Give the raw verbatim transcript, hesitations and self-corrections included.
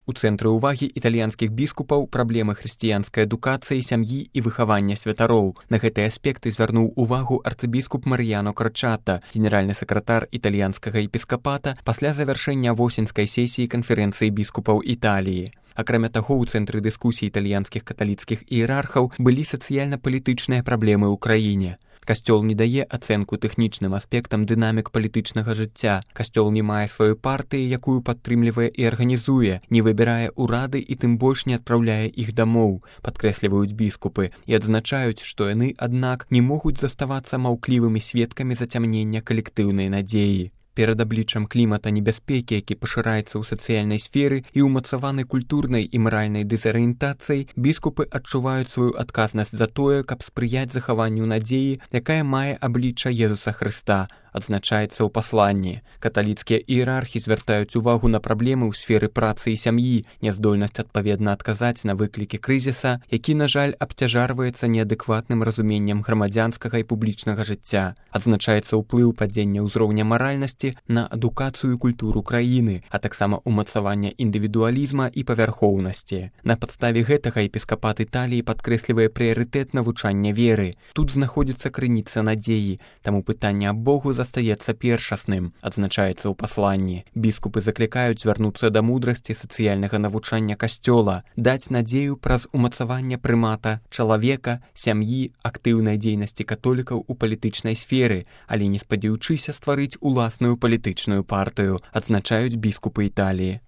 У цэнтры ўвагі італьянскіх біскупаў праблемы хрысціянскай адукацыі, сям'і і выхавання святароў. На гэтыя аспекты звярнуў увагу арцыбіскуп Мар'яно Крачата, генеральны сакратар італьянскага епіскапата, пасля завяршэння восеньскай сесіі канферэнцыі біскупаў Італіі. Акрамя таго, у цэнтры дыскусій італьянскіх каталіцкіх іерархаў былі сацыяльна-палітычныя праблемы ў краіне. Касцёл не дае ацэнку тэхнічным аспектам дынамік палітычнага жыцця. Касцёл не мае сваёй партыі, якую падтрымлівае і арганізуе, не выбірае ўрады і тым больш не адпраўляе іх дамоў, падкрэсліваюць біскупы, і адзначаюць, што яны, аднак, не могуць заставацца маўклівымі сведкамі зацямнення калектыўнай надзеі. Перад абліччам клімата небяспекі, які пашыраецца ў сацыяльнай сферы і ўмацаваны культурнай і маральнай дэзарыентацыяй, біскупы адчуваюць сваю адказнасць за тое, каб спрыяць захаванню надзеі, якая мае аблічча Езуса Хрыста, адзначаецца ў пасланні. Каталіцкія іерархі звяртаюць увагу на праблемы ў сферы працы і сям'і, няздольнасць адпаведна адказаць на выклікі крызіса, які, на жаль, абцяжарваецца неадэкватным разуменнем грамадзянскага і публічнага жыцця. Адзначаецца ўплыў падзення ўзроўня маральнасці на адукацыю і культуру краіны, а таксама ўмацавання індывідуалізма і павярхоўнасці. На падставе гэтага епіскапат Італіі падкрэслівае прыярытэт навучання веры. Тут знаходзіцца крыніца надзеі, таму пытанне аб Богу застаецца першасным, адзначаецца ў пасланні. Біскупы заклікаюць звярнуцца да мудрасці сацыяльнага навучання касцёла, даць надзею праз умацаванне прымата чалавека, сям'і, актыўнай дзейнасці католікаў у палітычнай сферы, але не спадзяючыся стварыць уласную палітычную партыю, адзначаюць біскупы Італіі.